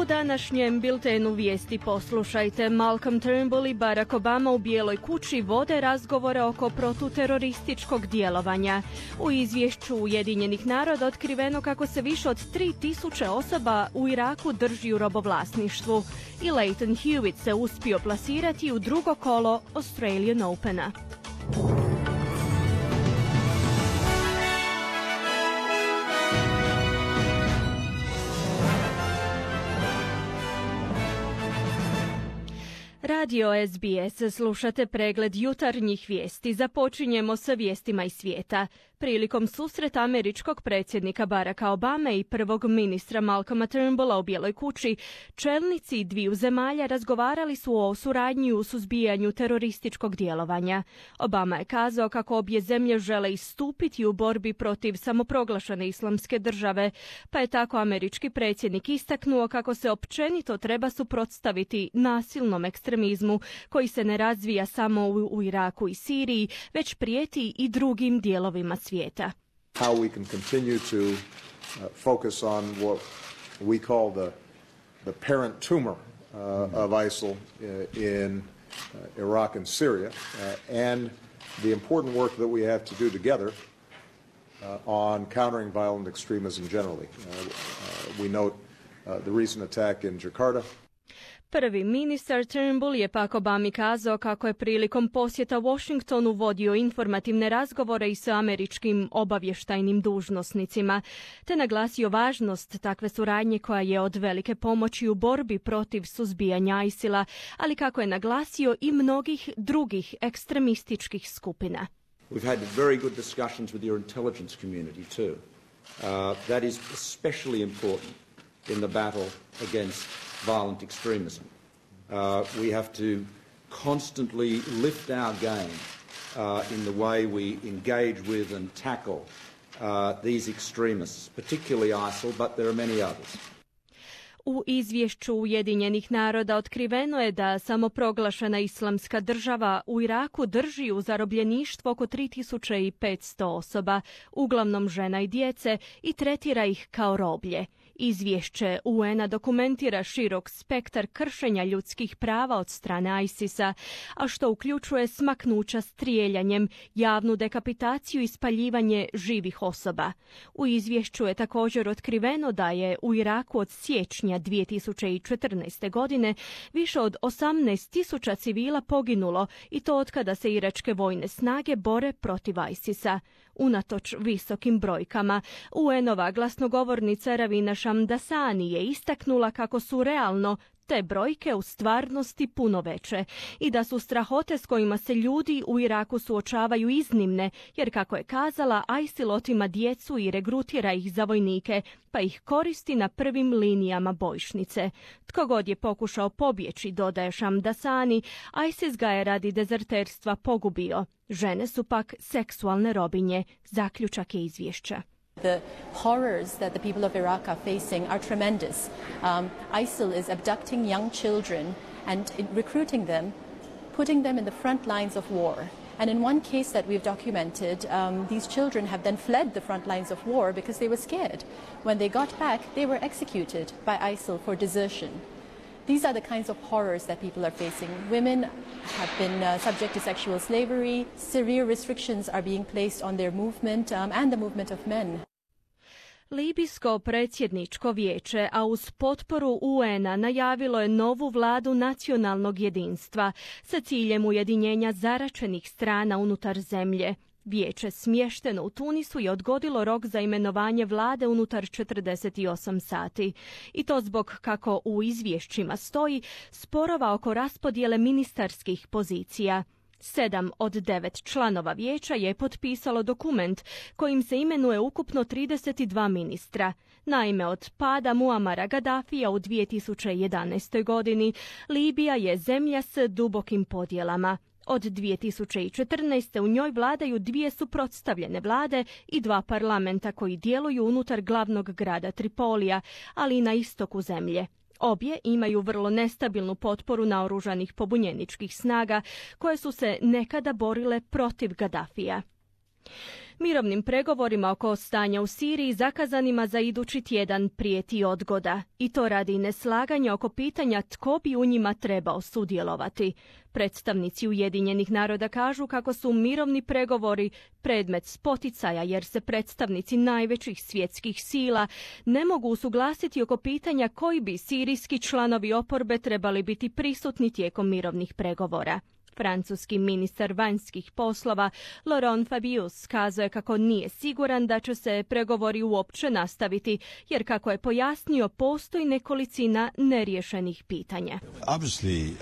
U današnjem biltenu vijesti poslušajte. Malcolm Turnbull i Barack Obama u Bijeloj kući vode razgovore oko protuterorističkog djelovanja. U izvješću Ujedinjenih naroda otkriveno kako se više od 3000 osoba u Iraku drži u robovlasništvu. I Leighton Hewitt se uspio plasirati u drugo kolo Australian Opena. Radio SBS, slušate pregled jutarnjih vijesti. Započinjemo sa vijestima iz svijeta. Prilikom susreta američkog predsjednika Baracka Obame i prvog ministra Malcolma Turnbulla u Bijeloj kući, čelnici dviju zemalja razgovarali su o suradnji u suzbijanju terorističkog djelovanja. Obama je kazao kako obje zemlje žele istupiti u borbi protiv samoproglašene islamske države, pa je tako američki predsjednik istaknuo kako se općenito treba suprotstaviti nasilnom ekstremizmu koji se ne razvija samo u Iraku i Siriji, već prijeti i drugim dijelovima svijeta. How we can continue to focus on what we call the parent tumor of ISIL in Iraq and Syria, and the important work that we have to do together on countering violent extremism generally. We note the recent attack in Jakarta. Prvi ministar Turnbull je pak Obami kazao kako je prilikom posjeta Washingtonu vodio informativne razgovore i sa američkim obavještajnim dužnosnicima, te naglasio važnost takve suradnje koja je od velike pomoći u borbi protiv suzbijanja ISIL-a, ali kako je naglasio i mnogih drugih ekstremističkih skupina. We've had very good discussions with your intelligence community too. That is especially important in the battle against violent extremism. We have to constantly lift our game in the way we engage with and tackle these extremists, particularly ISIL, but there are many others. U izvješću Ujedinjenih naroda otkriveno je da samoproglašena islamska država u Iraku drži u zarobljeništvu oko 3500 osoba, uglavnom žena i djece, i tretira ih kao roblje. Izvješće UN-a dokumentira širok spektar kršenja ljudskih prava od strane ISIS-a, a što uključuje smaknuća strijeljanjem, javnu dekapitaciju i spaljivanje živih osoba. U izvješću je također otkriveno da je u Iraku od siječnja 2014. godine više od 18.000 civila poginulo, i to otkada se iračke vojne snage bore protiv ISIS-a. Unatoč visokim brojkama, UN-ova glasnogovornica Ravina Shamdasani je istaknula kako su realno te brojke u stvarnosti puno veće i da su strahote s kojima se ljudi u Iraku suočavaju iznimne, jer kako je kazala, ISIL otima djecu i regrutira ih za vojnike, pa ih koristi na prvim linijama bojišnice. Tko god je pokušao pobjeći, dodaje Shamdasani, ISIS ga je radi dezerterstva pogubio. Žene su pak seksualne robinje, zaključak je izvješća. The horrors that the people of Iraq are facing are tremendous. ISIL is abducting young children and recruiting them, putting them in the front lines of war. And in one case that we've documented, these children have then fled the front lines of war because they were scared. When they got back, they were executed by ISIL for desertion. These are the kinds of horrors that people are facing. Women have been subject to sexual slavery. Severe restrictions are being placed on their movement and the movement of men. Libijsko predsjedničko vijeće, a uz potporu UN-a, najavilo je novu vladu nacionalnog jedinstva sa ciljem ujedinjenja zaračenih strana unutar zemlje. Vijeće smješteno u Tunisu je odgodilo rok za imenovanje vlade unutar 48 sati. I to zbog, kako u izvješćima stoji, sporova oko raspodjele ministarskih pozicija. 7 od 9 članova vijeća je potpisalo dokument kojim se imenuje ukupno 32 ministra. Naime, od pada Muamara Gaddafija u 2011. godini Libija je zemlja s dubokim podjelama. Od 2014. u njoj vladaju dvije suprotstavljene vlade i dva parlamenta koji djeluju unutar glavnog grada Tripolija, ali i na istoku zemlje. Obje imaju vrlo nestabilnu potporu naoružanih pobunjeničkih snaga koje su se nekada borile protiv Gaddafija. Mirovnim pregovorima oko stanja u Siriji zakazanima za idući tjedan prijeti odgoda, i to radi neslaganja oko pitanja tko bi u njima trebao sudjelovati. Predstavnici Ujedinjenih naroda kažu kako su mirovni pregovori predmet spoticaja jer se predstavnici najvećih svjetskih sila ne mogu usuglasiti oko pitanja koji bi sirijski članovi oporbe trebali biti prisutni tijekom mirovnih pregovora. Francuski ministar vanjskih poslova Laurent Fabius kazao je kako nije siguran da će se pregovori uopće nastaviti, jer kako je pojasnio postoji nekolicina neriješenih pitanja. Obviously,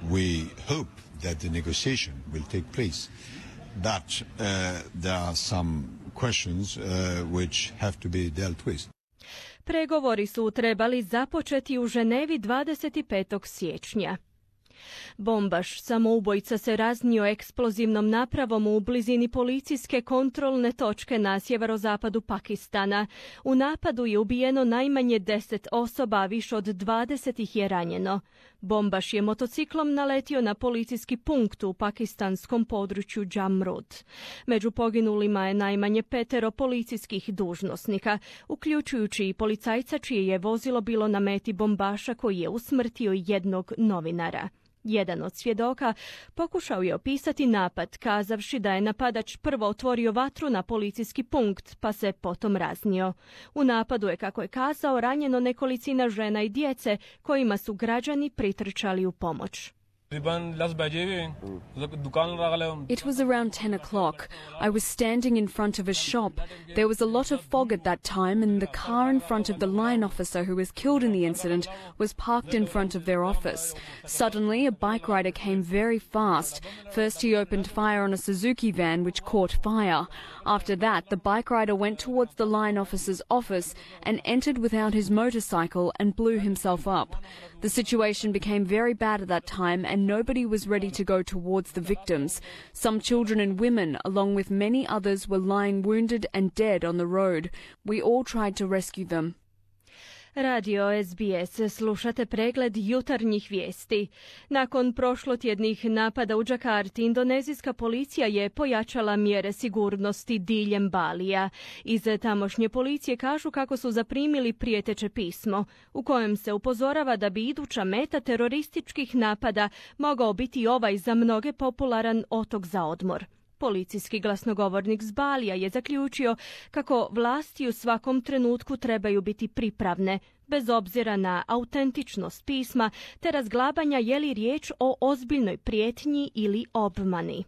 we hope that the negotiation will take place, but there are some questions which have to be dealt with. Pregovori su trebali započeti u Ženevi 25. siječnja. Bombaš samoubojica se raznio eksplozivnom napravom u blizini policijske kontrolne točke na sjeverozapadu Pakistana. U napadu je ubijeno najmanje 10 osoba, a više od 20 ih je ranjeno. Bombaš je motociklom naletio na policijski punkt u pakistanskom području Jamrud. Među poginulima je najmanje 5 policijskih dužnosnika, uključujući i policajca čije je vozilo bilo na meti bombaša koji je usmrtio jednog novinara. Jedan od svjedoka pokušao je opisati napad, kazavši da je napadač prvo otvorio vatru na policijski punkt, pa se potom raznio. U napadu je, kako je kazao, ranjeno nekolicina žena i djece kojima su građani pritrčali u pomoć. It was around 10 o'clock. I was standing in front of a shop. There was a lot of fog at that time, and the car in front of the line officer who was killed in the incident was parked in front of their office. Suddenly, a bike rider came very fast. First, he opened fire on a Suzuki van, which caught fire. After that, the bike rider went towards the line officer's office and entered without his motorcycle and blew himself up. The situation became very bad at that time, and nobody was ready to go towards the victims. Some children and women, along with many others, were lying wounded and dead on the road. We all tried to rescue them. Radio SBS, slušate pregled jutarnjih vijesti. Nakon prošlotjednih napada u Džakarti, indonezijska policija je pojačala mjere sigurnosti diljem Balija. Iz tamošnje policije kažu kako su zaprimili prijeteće pismo, u kojem se upozorava da bi iduća meta terorističkih napada mogao biti ovaj za mnoge popularan otok za odmor. Policijski glasnogovornik s Balija je zaključio kako vlasti u svakom trenutku trebaju biti pripravne, bez obzira na autentičnost pisma, te razglabanja je li riječ o ozbiljnoj prijetnji ili obmani.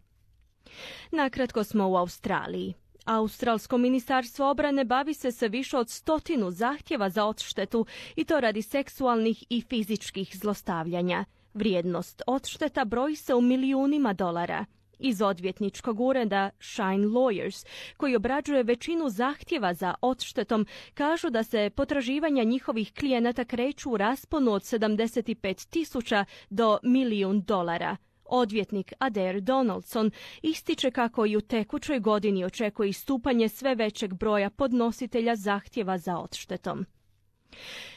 Nakratko smo u Australiji. Australsko ministarstvo obrane bavi se sa više od 100 zahtjeva za odštetu, i to radi seksualnih i fizičkih zlostavljanja. Vrijednost odšteta broji se u milijunima dolara. Iz odvjetničkog ureda Shine Lawyers, koji obrađuje većinu zahtjeva za odštetom, kažu da se potraživanja njihovih klijenata kreću u rasponu od 75.000 do $1.000.000. Odvjetnik Adair Donaldson ističe kako i u tekućoj godini očekuje istupanje sve većeg broja podnositelja zahtjeva za odštetom.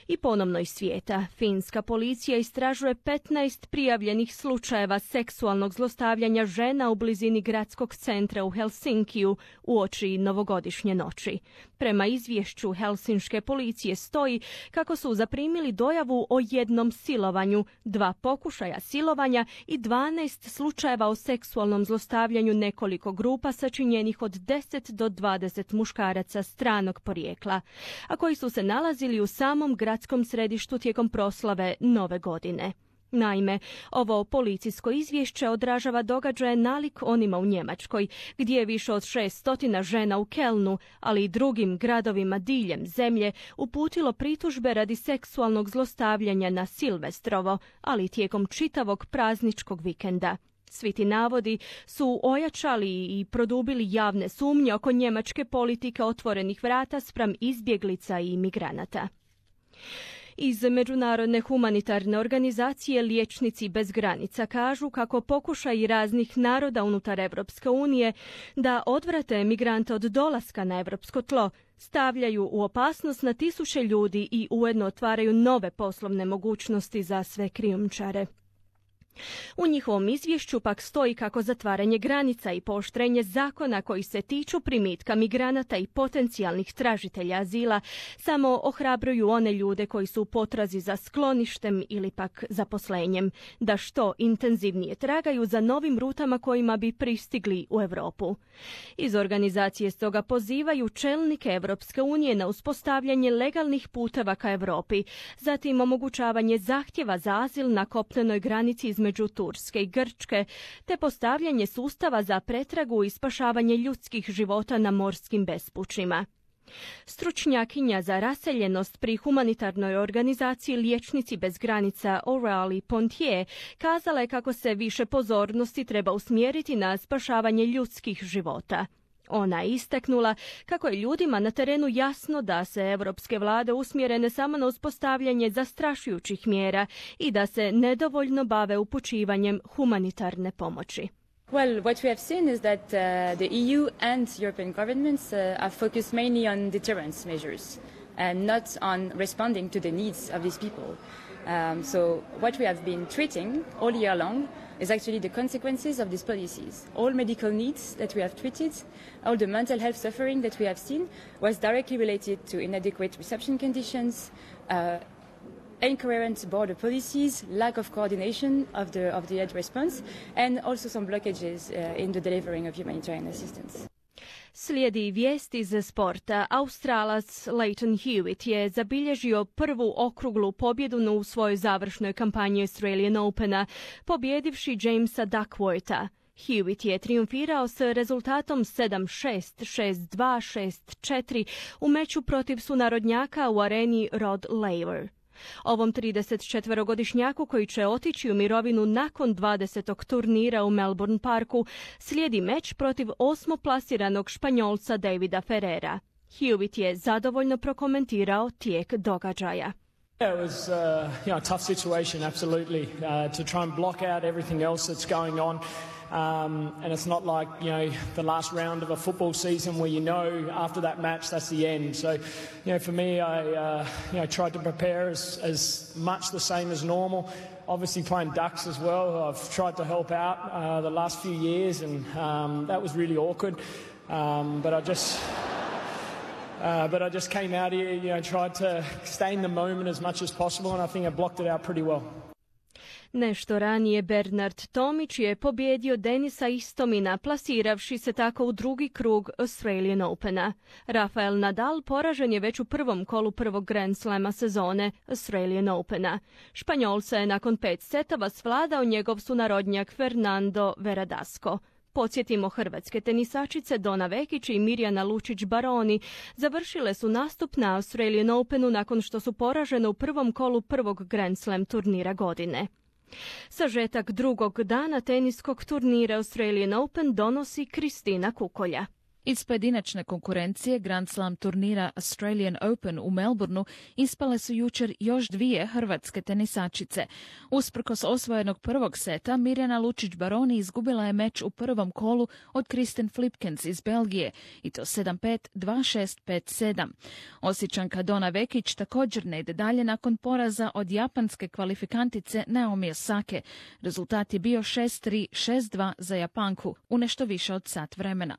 I ponovno iz svijeta. Finska policija istražuje 15 prijavljenih slučajeva seksualnog zlostavljanja žena u blizini gradskog centra u Helsinkiju uoči novogodišnje noći. Prema izvješću helsinške policije stoji kako su zaprimili dojavu o jednom silovanju, 2 pokušaja silovanja i 12 slučajeva o seksualnom zlostavljanju nekoliko grupa sačinjenih od 10 do 20 muškaraca stranog porijekla, a koji su se nalazili u samom gradskom središtu tijekom proslave Nove godine. Naime, ovo policijsko izvješće odražava događaje nalik onima u Njemačkoj, gdje je više od 600 žena u Kelnu, ali i drugim gradovima diljem zemlje, uputilo pritužbe radi seksualnog zlostavljanja na Silvestrovo, ali tijekom čitavog prazničkog vikenda. Svi ti navodi su ojačali i produbili javne sumnje oko njemačke politike otvorenih vrata spram izbjeglica i migranata. Iz Međunarodne humanitarne organizacije Liječnici bez granica kažu kako pokušaji raznih naroda unutar Europske unije da odvrate migrante od dolaska na europsko tlo stavljaju u opasnost na tisuće ljudi i ujedno otvaraju nove poslovne mogućnosti za sve krijumčare. U njihovom izvješću pak stoji kako zatvaranje granica i pooštrenje zakona koji se tiču primitka migranata i potencijalnih tražitelja azila samo ohrabruju one ljude koji su u potrazi za skloništem ili pak zaposlenjem, da što intenzivnije tragaju za novim rutama kojima bi pristigli u Europu. Iz organizacije stoga pozivaju čelnike Europske unije na uspostavljanje legalnih puteva ka Europi, zatim omogućavanje zahtjeva za azil na kopnenoj granici između Turske i Grčke, te postavljanje sustava za pretragu i spašavanje ljudskih života na morskim bespućima. Stručnjakinja za raseljenost pri humanitarnoj organizaciji Liječnici bez granica Aurélie Pontier kazala je kako se više pozornosti treba usmjeriti na spašavanje ljudskih života. Ona je istaknula kako je ljudima na terenu jasno da se evropske vlade usmjere ne samo na uspostavljanje zastrašujućih mjera i da se nedovoljno bave upućivanjem humanitarne pomoći. Well, what we have seen is that the EU and European governments are focused mainly on deterrence measures and not on responding to the needs of these people. So what we have been treating all year long is actually the consequences of these policies. All medical needs that we have treated, all the mental health suffering that we have seen was directly related to inadequate reception conditions, incoherent border policies, lack of coordination of the aid response, and also some blockages in the delivering of humanitarian assistance. Slijedi vijest iz sporta. Australac Leighton Hewitt je zabilježio prvu okruglu pobjedu u svojoj završnoj kampanji Australian Opena, pobjedivši Jamesa Duckwortha. Hewitt je triumfirao s rezultatom 7-6, 6-2, 6-4 u meču protiv sunarodnjaka u areni Rod Laver. Ovom 34-godišnjaku koji će otići u mirovinu nakon 20. turnira u Melbourne Parku slijedi meč protiv osmoplasiranog Španjolca Davida Ferrera. Hewitt je zadovoljno prokomentirao tijek događaja. It was a tough situation, absolutely, to try and block out everything else that's going on. And it's not like, the last round of a football season where after that match that's the end. So, for me, I tried to prepare as much the same as normal. Obviously playing Ducks as well, I've tried to help out the last few years, and that was really awkward. But I just came out here, tried to stay in the moment as much as possible, and I think I blocked it out pretty well. Nešto ranije Bernard Tomić je pobjedio Denisa Istomina, plasiravši se tako u drugi krug Australian Opena. Rafael Nadal poražen je već u prvom kolu prvog Grand Slama sezone Australian Opena. Španjolca je nakon 5 setova svladao njegov sunarodnjak Fernando Verdasco. Podsjetimo, hrvatske tenisačice Dona Vekić i Mirjana Lučić-Baroni završile su nastup na Australian Openu nakon što su poražene u prvom kolu prvog Grand Slam turnira godine. Sažetak drugog dana teniskog turnira Australian Open donosi Kristina Kukolja. Iz pojedinačne konkurencije Grand Slam turnira Australian Open u Melbourneu ispale su jučer još 2 hrvatske tenisačice. Usprkos osvojenog prvog seta, Mirjana Lučić-Baroni izgubila je meč u prvom kolu od Kristen Flipkens iz Belgije, i to 7-5, 2-6, 5-7. Osječanka Dona Vekić također ne ide dalje nakon poraza od japanske kvalifikantice Naomi Osake. Rezultat je bio 6-3, 6-2 za Japanku u nešto više od sat vremena.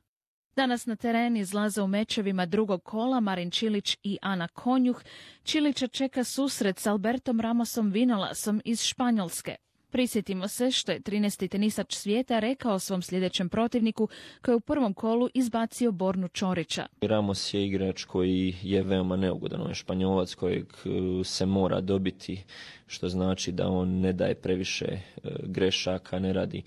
Danas na teren izlaze u mečevima drugog kola Marin Čilić i Ana Konjuh. Čilića čeka susret s Albertom Ramosom Vinolasom iz Španjolske. Prisjetimo se što je 13. tenisač svijeta rekao svom sljedećem protivniku koji je u prvom kolu izbacio Bornu Čorića. Ramos je igrač koji je veoma neugodan, on je Španjolac kojeg se mora dobiti, što znači da on ne daje previše grešaka, ne radi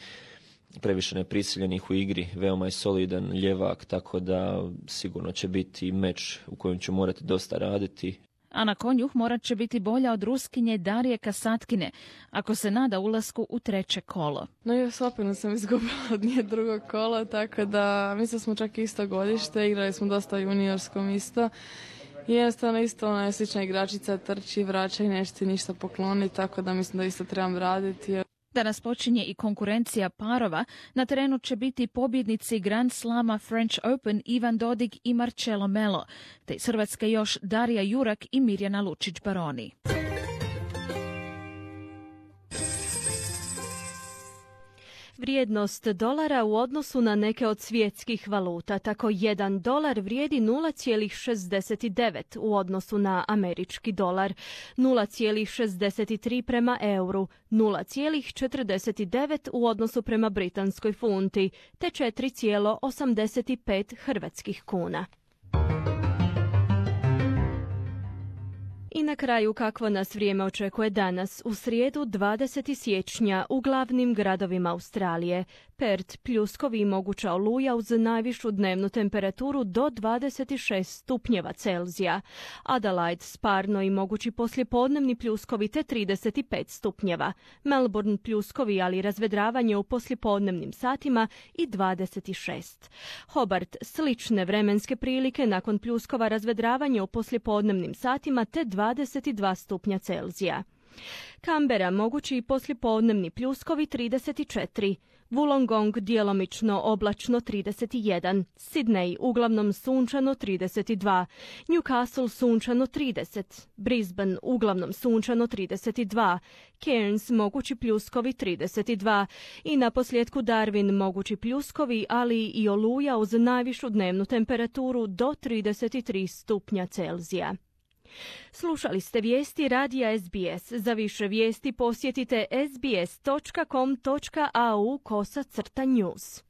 previše neprisiljenih u igri, veoma je solidan ljevak, tako da sigurno će biti meč u kojem će morati dosta raditi. Ana Konjuh morat će biti bolja od Ruskinje Darije Kasatkine ako se nada ulasku u treće kolo. No i opet sam izgubila od nje drugog kola, tako da mislim smo čak isto godište, igrali smo dosta juniorskom isto. I jednostavno isto ona je slična igračica, trči, vraća i neće ništa pokloniti, tako da mislim da isto trebam raditi. Danas počinje i konkurencija parova. Na terenu će biti pobjednici Grand Slama French Open Ivan Dodig i Marcelo Melo, te iz Hrvatske još Darija Jurak i Mirjana Lučić-Baroni. Vrijednost dolara u odnosu na neke od svjetskih valuta. Tako $1 vrijedi 0,69 u odnosu na američki dolar, 0,63 prema euru, 0,49 u odnosu prema britanskoj funti, te 4,85 hrvatskih kuna. I na kraju kakvo nas vrijeme očekuje danas, u srijedu 20. siječnja u glavnim gradovima Australije. Perth pljuskovi i moguća oluja uz najvišu dnevnu temperaturu do 26 stupnjeva Celzija. Adelaide sparno i mogući poslijepodnevni pljuskovi te 35 stupnjeva. Melbourne pljuskovi ali razvedravanje u poslijepodnevnim satima i 26. Hobart slične vremenske prilike nakon pljuskova razvedravanje u poslijepodnevnim satima te 22 stupnja Celzija. Canberra mogući i poslijepodnevni pljuskovi 34. Wollongong djelomično oblačno 31, Sydney uglavnom sunčano 32, Newcastle sunčano 30, Brisbane uglavnom sunčano 32, Cairns mogući pljuskovi 32 i naposljetku Darwin mogući pljuskovi, ali i oluja uz najvišu dnevnu temperaturu do 33 stupnja Celzija. Slušali ste vijesti radija SBS. Za više vijesti posjetite sbs.com.au/news.